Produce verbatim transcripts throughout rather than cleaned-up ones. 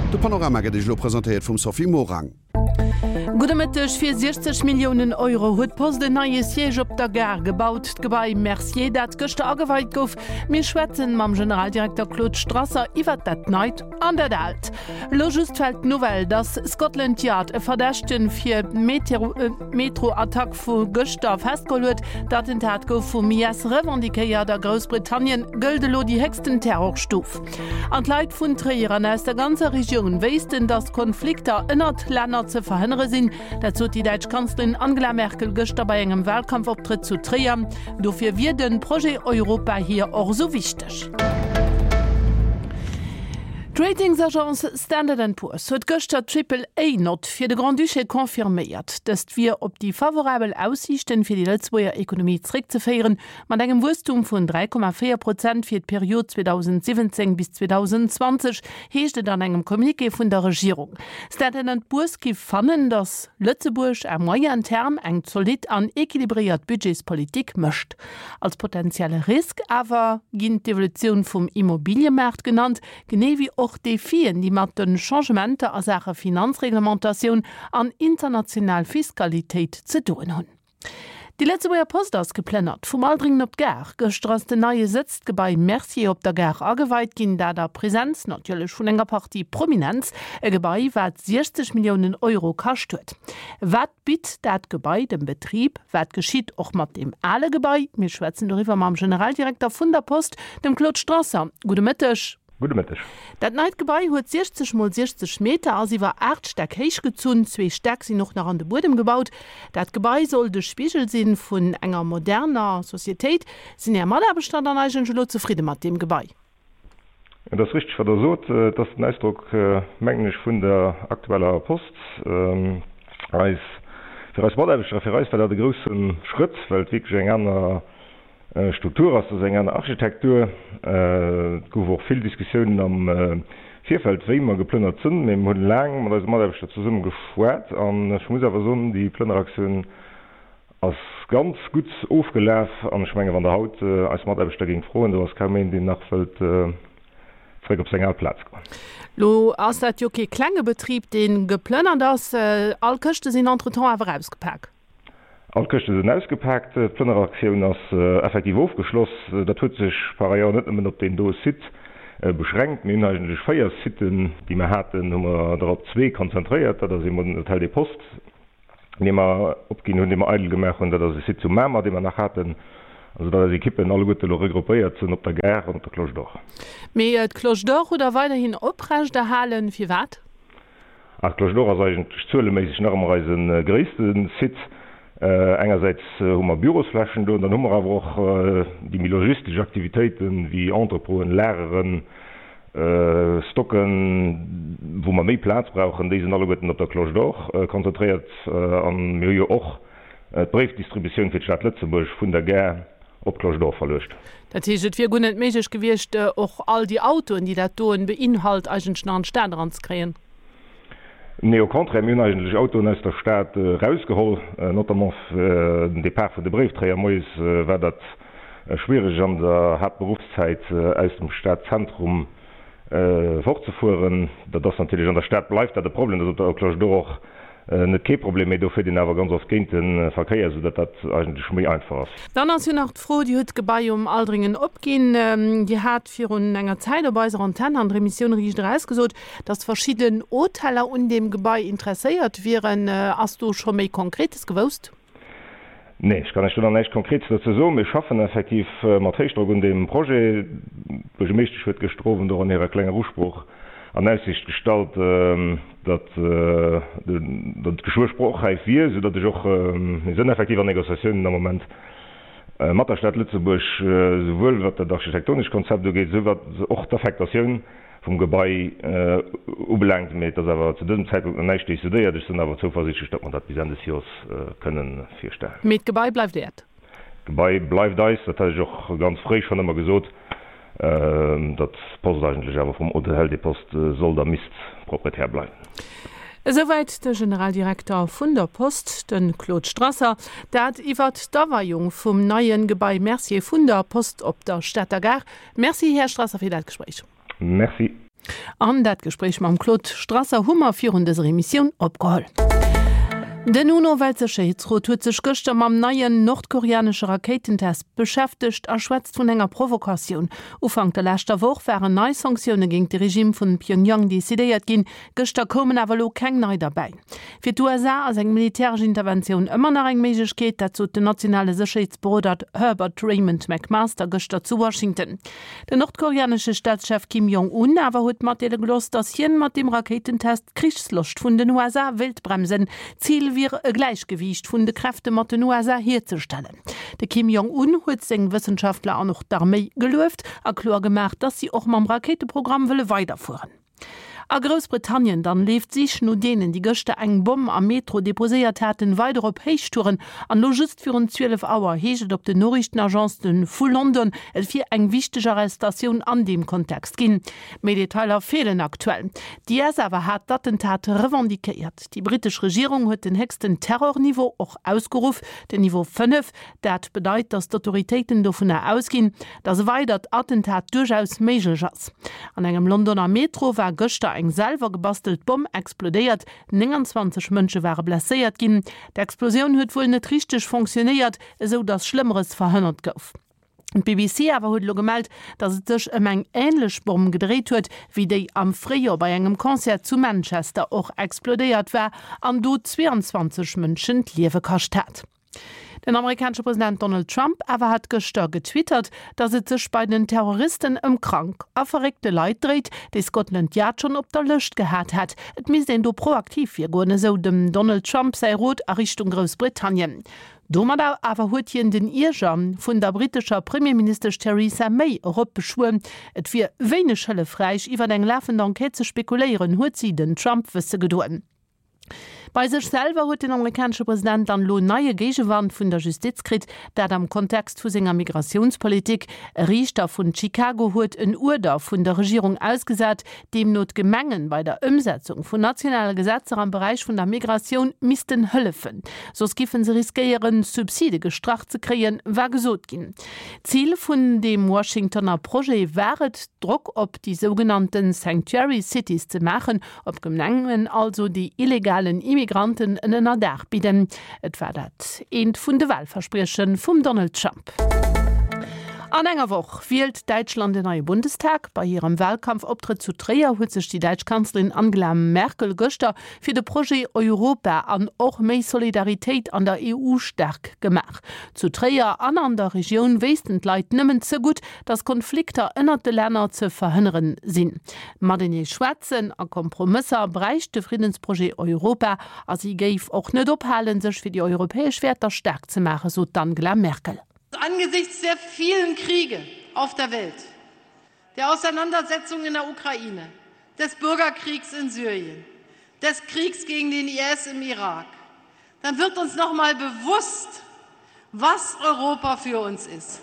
De Panorama gëtt Iech elo presentéiert vum Sophie Morang. Gudde Mëtteg, Fir siechzeg Milliounen Euro huet d'Post en neie Siège op der Gare gebaut, d'Gebai Mercier, dat gëschter ageweit gouf. Mir schwätzen mam Generaldirekter Claude Strasser iwwert dat Neit an dat Aalt. Elo just fält d'Nouvelle, dass Scotland Yard e Verdächtegen fir d'Metro-Attack vu gëschter festgeholl huet. D'Attentat gouf vum I S revendiquéiert. A Groussbritannien gëllt elo déi héchsten Terrorstuf. An d'Leit vun Tréier an aus der ganzer Regioun wéissten, datt Konflikter ënnert Länner ze verhënnere sinn. Dat sot déi däitsch Kanzlerin Angela Merkel gëschter bei engem Walkampfoptrëtt zu Tréier. Dofir wier de Projet Europa hir och esou wichteg. D'Ratingsagence Standard and Poor's huet gëschter d'Triple-A-Nott fir de Grand-Duché confirméiert. Dëst wier op déi favorabel Aussiichten fir déi Lëtzebuerger Ekonomie zréckzeféieren, mat engem Wuesstum vun dräi Komma véier Prozent fir d'Period zweedausendsiwwenzéng bis zweedausendenzwanzeg, heescht et an engem Communiqué vun der Regierung. Standard and Poor's giff fannen, datt Lëtzebuerg à moyen terme eng zolidd an equilibréiert Budgetspolitik mécht. Als potentielle Risk awer ginn d'Evolutioun vum Immobiliëmaart genannt, genee wéi och Defien, déi mat de Changementer a Saache Finanzreglementatioun an international Fiskalitéit ze doen hunn. Déi Lëtzebuerger Post ass geplënnert vum Aldringen op d'Gare. Gëschter ass den neie Sëtz, d'Gebai Mercier op der Gare ageweit ginn, dat a Presenz natierlech vun enger Partie Prominenz. E Gebai, wat siechzeg Milliounen Euro kascht huet. Wat bitt dat Gebai dem Betrib? Wat geschitt och mat deem ale Gebai? Mir schwätzen doriwwer mam Generaldirekter vun der Post, dem Claude Strasser. Gudde Mëtteg. Gudde Mëtteg. Dat neit Gebai huet siechzeg mol siechzeg Meter, ass iwwer aacht Stäck héich gezunn. Zwee Stäck sinn och nach an de Buedem gebaut. Dat Gebai soll de Spigel sinn vun enger moderner Societéit. Sinn Är Mataarbechter dann eigentlech elo zefridde mat deem Gebai? Et ass richteg, wat Der sot. Et ass den Ausdrock, mengen ech, vun der aktueller Post. Eis, fir eis Mataarbechter a fir eis war dat e grousse Schrëtt, well et wierklech eng aner Struktur ass, dat ass eng aner Architektur. Et gouf och vill Diskussiounen am Virfeld, wéi mer geplënnert sënn, mee mer hunn laang mat eise Mataarbechter zesumme geschwat an ech muss awer soen, déi Plënneraktioun ass ganz gutt ofgelaf an ech menge wann Der haut eis Mataarbechter géingt froen, do ass kaum een, deen nach wëllt zréck op seng al Plaz goen. Lo ass dat jo kee klenge Betrib, dee geplënnert ass. All Këschte sinn entretemps awer ausgepak? All d'Këschte sinn ausgepaakt, d'Plënneraktioun ass effektiv ofgeschloss. Dat huet sech par ailleurs net nëmmen op deen do Site beschränkt. Mir hunn eigentlech véier Siten, déi mer haten, hu mer der op zwee konzentréiert. Dat ass eemol den Hôtel des Postes, dee mer opginn hunn, dee mer eidel gemaach hunn. Dat ass e Site zu Mamer, dee mer nach haten. Also datt eis Ekippen alleguerte elo regroupéiert sinn op der Gare an op der Cloche d'Or. Mee d'Cloche d'Or hutt Der weiderhin oprechterhalen. Firwat? Ah, d'Cloche d'Or ass eigentlech zueleméisseg nach ëmmer eise gréisste Site. Engersäits hu mer Bürosflächen do, dann hu mer awer och déi méi logistesch Aktivitéiten, wéi Entrepôten, Lageren, Stocken, wou mer méi Plaz brauchen. Déi sinn alleguerten op der Cloche d'Or konzentréiert. A mir hu jo och d'Bréifdistributioun fir d'Stad Lëtzebuerg vun der Gare op d'Cloche d'Or verluecht. Dat heescht, et wier guer net méiglech gewiescht, och all déi Autoen, déi dat doen beinhalt, eigentlech nach an d'Stad eranzekréien? Nee, au contraire, mir hunn eigentlech Autoen aus der Stad erausgeholl, notamment fir den Depart vun de Bréifträger. Moies war dat schwiereg an der Haaptberuffszäit aus dem Stadzentrum fortzefueren. Dat ass natierlech an der Stad bleift dat e Problem, dat ass op der Cloche d'Or och net kee Problem, mee do fiert een awer ganz oft géint de Verkéier, soudatt dat eigentlech méi einfach ass. Dann ass jo nach d'Fro, Dir hutt d'Gebai um Aldringen opginn. Dir hat virun enger Zäit op eiser Antenn an der Emissioun Riicht Eraus gesot, datt verschidden Hoteller un deem Gebai interesséiert wieren. Ass do scho méi Konkretes gewousst? Nee, ech kann Iech do nach näischt Konkretes dozou soen. Mir schaffen effektiv mat Héichdrock un deem Projet. D'Buergermeeschtesch huet gëschter Owend och an hirer klenger Usprooch an Aussicht gestallt, datt et geschwë sprochräif wier, soudatt ech och, mir sënn effektiv an Négociatiounen am Moment mat der Stad Lëtzebuerg, souwuel wat dat architektonescht Konzept ugeet, esou wat och d'Affektatioun vum Gebai ubelaangt. Mee et ass awer zu dësem Zäitpunkt nach näischt decidéiert. Ech sinn awer zouversiichtlech, datt mer dat bis Enn des Joers kënnen virstellen. Mee d'Gebai bleift Äert? D'Gebai bleift eis. Dat hat ech och ganz fréi schonn ëmmer gesot, datt d'Post eigentlech awer vum Hôtel des Postes sollt a misst Proprietär bleiwen. Esouwäit de Generaldirekter vun der Post, de Claude Strasser. Dat iwwert d'Aweiung vum neie Gebai Mercier vun der Post op der Stater Gare. Merci, Här Strasser, fir dat Gespréich. Merci. An dat Gespréich mam Claude Strasser hu mer virun dëser Emissioun opgeholl. Den UNO-Weltsécherheetsrot huet sech gëschter mam neien nordkoreanesche Rakéitentest beschäftegt a schwätzt vun enger Provokatioun. Ufank der leschter Woch waren nei Sanktioune géint de Regime vun Pyongyang decidéiert ginn, gëschter koumen awer elo keng nei derbäi. Fir d'USA ass eng militäresch Interventioun ëmmer nach eng Méiglechkeet, dat sot den nationale Sécherheetsberoder Herbert Raymond McMaster gëschter zu Washington. Den nordkoreanesche Staatschef Kim Jong Un awer huet matdeele gelooss, datt hien mat deem Rakéitentest d'Krichsloscht vun den USA wéilt bremsen. Zil wier e Gläichgewiicht vun de Kräfte mat den USA hierzestellen. De Kim Jong Un huet seng Wëssenschaftler an och d'Arméi gelueft a kloer gemaach, datt si och mam Rakéiteprogramm wëlle weiderfueren. A Groussbritannien dann leeft d'Sich no deenen, déi gëschter eng Bomm am Metro deposéiert haten, weider op Héichtouren. An elo just virun zwielef Auer heescht et op den Noriichtenagencen vu London, et wier eng wichteg Arrestatioun an deem Kontext ginn. Méi Detailer feelen aktuell. D'IS awer hat d'Attentat revendiquéiert. Déi brittesch Regierung huet den héchsten Terrorniveau och ausgeruff, den Niveau fënnef. Dat bedeit, datt d'Autoritéiten dovunner ausginn, datt e weidert Attentat duerchaus méiglech ass. An engem Londoner Metro war gëschter eng selwer gebastelt Bomm explodéiert, nénganzwanzeg Mënsche ware blesséiert ginn. D'Explosioun huet wuel net richteg fonctionnéiert, esou datt Schlëmmeres verhënnert gouf. D'BBC awer huet elo gemellt, datt et sech ëm eng änlech Bomm gedréit huet, wéi déi am Fréijoer bei engem Concert zu Manchester och explodéiert war an do zweeanzwanzeg Mënschen d'Liewe kascht hat. Den amerikanesche President Donald Trump awer hat gëschter getwittert, datt et sech bei den Terroristen ëm krank a verréckte Leit dréit, déi Scotland Yard schonn op der Lëscht gehat hätt. Et misst een do proaktiv virgoen, esou dem Donald Trump säi Rot a Richtung Groussbritannien. Domadder awer huet hien den Ierger vun der brittescher Premierministesch Theresa May eropbeschwuer. Et wier wéineg hëllefräich, iwwer eng lafend Enquête ze spekuléieren, huet si den Trump wësse gedoen. Bei sech selwer huet den amerikanesche President dann elo neie Géigewand vun der Justiz kritt, dat am Kontext vu senger Migratiounspolitik. E Riichter vun Chicago huet en Uerder vun der Regierung ausgesat, deemno d'Gemengen bei der Ëmsetzung vun nationale Gesetzer am Beräich vun der Migratioun missten hëllefen. Soss giffen se riskéieren, Subside gestrach ze kréien, war gesot ginn. Zil vun deem Washingtoner Projet war et, Drock op déi sougenannten Sanctuary Cities ze maachen, op Gemengen also, déi illegalen Immigranten en Ënnerdaach bidden. Et war dat eent vun de Walversprieche vum Donald Trump. An enger Woch wielt Däitschland en neie Bundestag. Bei hirem Walkampfoptrëtt zu Tréier huet sech déi däitsch Kanzlerin Angela Merkel gëschter fir de Projet Europa an och méi Solidaritéit an der E U staark gemaach. Zu Tréier an an der Regioun wéissten d'Leit nëmmen ze gutt, datt Konflikter ënnert de Länner ze verhënneren sinn. Matenee schwätzen a Kompromësser bräicht de Friddensprojet Europa a si géif och net ophalen, sech fir déi europäesch Wäerter staark ze maachen, sot d'Angela Merkel. Angesichts der vielen Kriege auf der Welt, der Auseinandersetzungen in der Ukraine, des Bürgerkriegs in Syrien, des Kriegs gegen den I S im Irak, dann wird uns noch mal bewusst, was Europa für uns ist.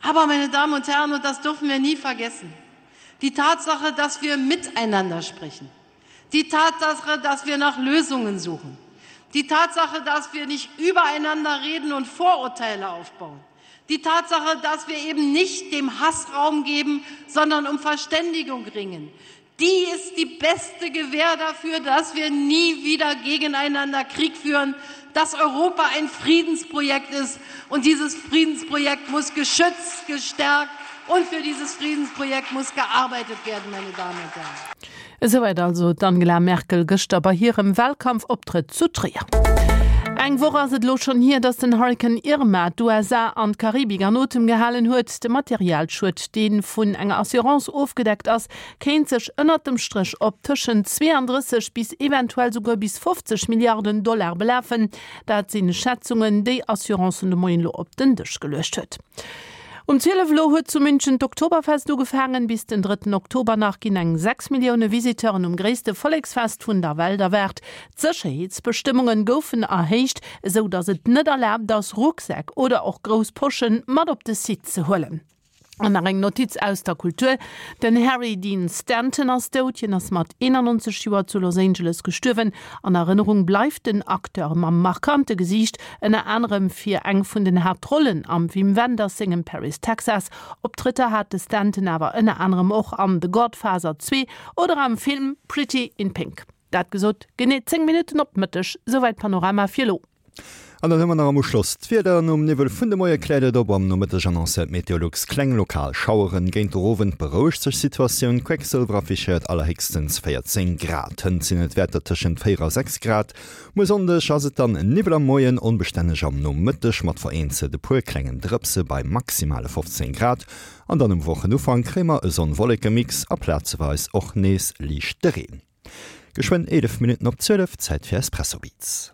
Aber, meine Damen und Herren, und das dürfen wir nie vergessen, die Tatsache, dass wir miteinander sprechen, die Tatsache, dass wir nach Lösungen suchen, die Tatsache, dass wir nicht übereinander reden und Vorurteile aufbauen, die Tatsache, dass wir eben nicht dem Hass Raum geben, sondern um Verständigung ringen, die ist die beste Gewähr dafür, dass wir nie wieder gegeneinander Krieg führen, dass Europa ein Friedensprojekt ist, und dieses Friedensprojekt muss geschützt, gestärkt und für dieses Friedensprojekt muss gearbeitet werden, meine Damen und Herren. Esouwäit also d'Angela Merkel gëschter bei hirem Wahlkampfoptrëtt zu Tréier. Eng Woch ass et elo schonn hier, datt den Hurrikan Irma d'U S A an d'Karibik an Otem gehalen huet. De Materialschued, dee vun enger Assurance ofgedeckt ass, kéint sech ënnert dem Stréch op tëschent zweeandrësseg bis eventuell souguer bis fofzeg Milliarden Dollar belafen. Dat sinn Schätzungen, déi Assurancen de Moien elo op den Dësch geluecht huet. Um zwielef elo huet zu München d'Oktoberfest ugefaangen. Bis den drëtten Oktober nach ginn eng sechs Millioune Visiteuren um gréisste Volleksfest vun der Welt erwaart. D'Sécherheetsbestëmmunge goufen erhéicht, esou datt et net erlaabt ass, Rucksäck oder och grouss Poschen mat op de Site ze huelen. An nach eng Notiz aus der Kultur. Den Harry Dean Stanton ass dout, hien ass mat eenannonzeg Joer zu Los Angeles gestuerwen. An Erënnerung bleift den Acteur mam markante Gesiicht ënner anerem fir eng vun den Haaptrollen am Wim Wenders sengem Paris, Texas. Optrëtter hat de Stanton awer ënner anerem och an The Godfather zwee oder am Film Pretty in Pink. Dat gesot, genee zéng Minutten op Mëtteg, souwäit Panorama fir elo. An dann hu mer nach am Uschloss d'Wieder. Nom Niwwel vun de Moie kläert et op, am Nomëtteg annoncéiert Meteolux kleng lokal Schaueren. Géint de Owend berouegt sech d'Situatioun, Quecksëlwer affichéiert allerhéchstens véierzéng Grad. Hënt sinn et Wäerter tëschent véier a sechs Grad. Muer Sonndeg ass et dann Niwwel am Moien, onbestänneg am Nomëtteg mat vereenzelt e puer klengen Drëpse bei maximale fofzéng Grad. An dann um Wochenufank kréie mer e Sonn-Wolleke-Mix a plazeweis och nees liichte Reen. Geschwënn eelef Minutten op zwielef, Zäit fir Espresso Beats.